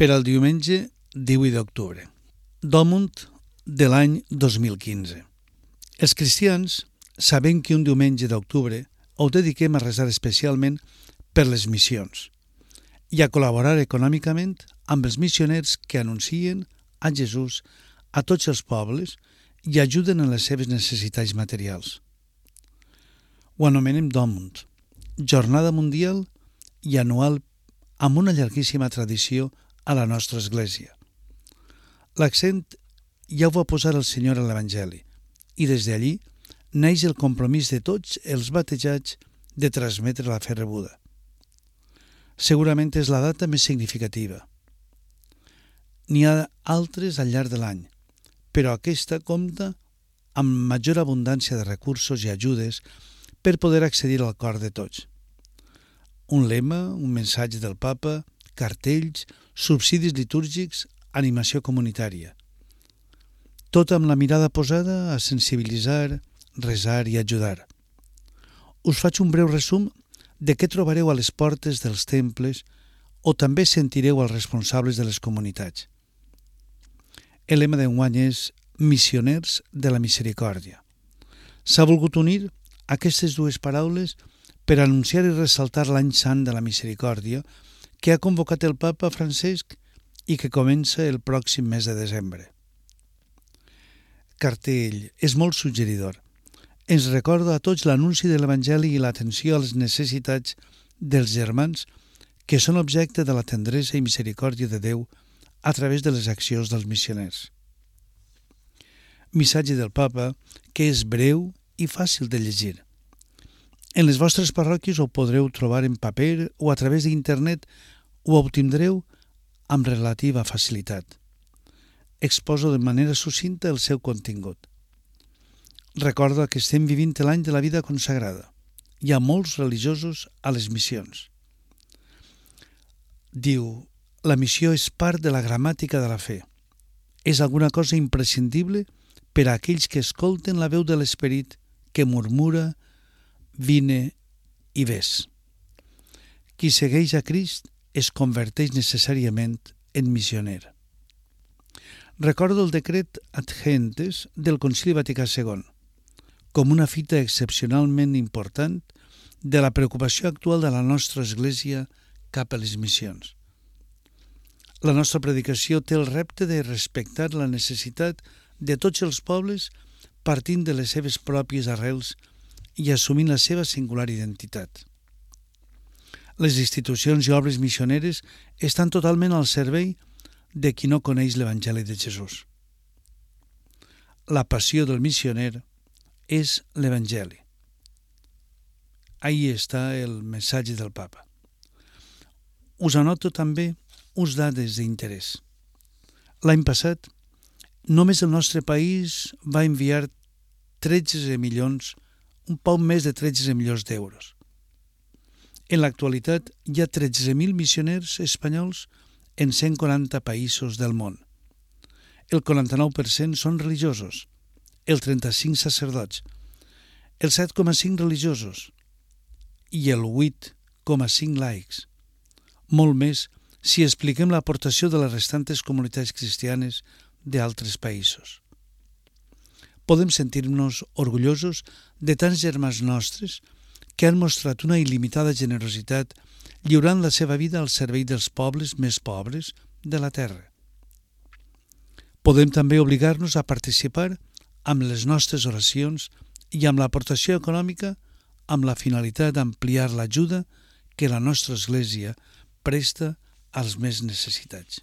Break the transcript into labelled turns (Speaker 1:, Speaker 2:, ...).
Speaker 1: per al diumenge 18 d'octubre, d'Òmund de l'any 2015. Els cristians sabem que un diumenge d'octubre ho dediquem a resar especialment per les missions i a col·laborar econòmicament amb els missioners que anuncien a Jesús a tots els pobles i ajuden en les seves necessitats materials. Ho anomenem d'Òmund, jornada mundial i anual amb una llarguíssima tradició a la nostra església. L'accent ja ho va posar el Senyor a l'Evangeli i des d'allí neix el compromís de tots els batejats de transmetre la fe rebuda. Segurament és la data més significativa. N'hi ha altres al llarg de l'any, però aquesta compta amb major abundància de recursos i ajudes per poder accedir al cor de tots. Un lema, un missatge del Papa, cartells, subsidis litúrgics, animació comunitària. Tot amb la mirada posada a sensibilitzar, resar i ajudar. Us faig un breu resum de què trobareu a les portes dels temples o també sentireu els responsables de les comunitats. El lema d'enguany és Missioners de la Misericòrdia. S'ha volgut unir aquestes dues paraules per anunciar i ressaltar l'any sant de la misericòrdia que ha convocat el Papa Francesc i que comença el pròxim mes de desembre. Cartell és molt suggeridor. Ens recorda a tots l'anunci de l'Evangeli i l'atenció a les necessitats dels germans que són objecte de la tendresa i misericòrdia de Déu a través de les accions dels missioners. Missatge del Papa que és breu i fàcil de llegir. En les vostres parròquies ho podreu trobar en paper o a través d'internet ho obtindreu amb relativa facilitat. Exposo de manera sucinta el seu contingut. Recorda que estem vivint l'any de la vida consagrada. Hi ha molts religiosos a les missions. Diu, la missió és part de la gramàtica de la fe. És alguna cosa imprescindible per a aquells que escolten la veu de l'Esperit que murmura, vine i ves. Qui segueix a Crist es converteix necessàriament en missioner. Recordo el decret Ad Gentes del Concili Vaticà II com una fita excepcionalment important de la preocupació actual de la nostra Església cap a les missions. La nostra predicació té el repte de respectar la necessitat de tots els pobles partint de les seves pròpies arrels i assumint la seva singular identitat. Les institucions i obres missioneres estan totalment al servei de qui no coneix l'Evangeli de Jesús. La passió del missioner és l'Evangeli. Ahí està el missatge del Papa. Us anoto també uns dades d'interès. L'any passat, només el nostre país va enviar 13 milions, un poc més de 13 milions d'euros. En l'actualitat hi ha 13.000 missioners espanyols en 140 països del món. El 49% són religiosos, el 35% sacerdots, el 7,5% religiosos i el 8,5% laics. Molt més si expliquem l'aportació de les restantes comunitats cristianes d'altres països. Podem sentir-nos orgullosos de tants germans nostres que han mostrat una il·limitada generositat lliurant la seva vida al servei dels pobles més pobres de la terra. Podem també obligar-nos a participar amb les nostres oracions i amb l'aportació econòmica amb la finalitat d'ampliar l'ajuda que la nostra Església presta als més necessitats.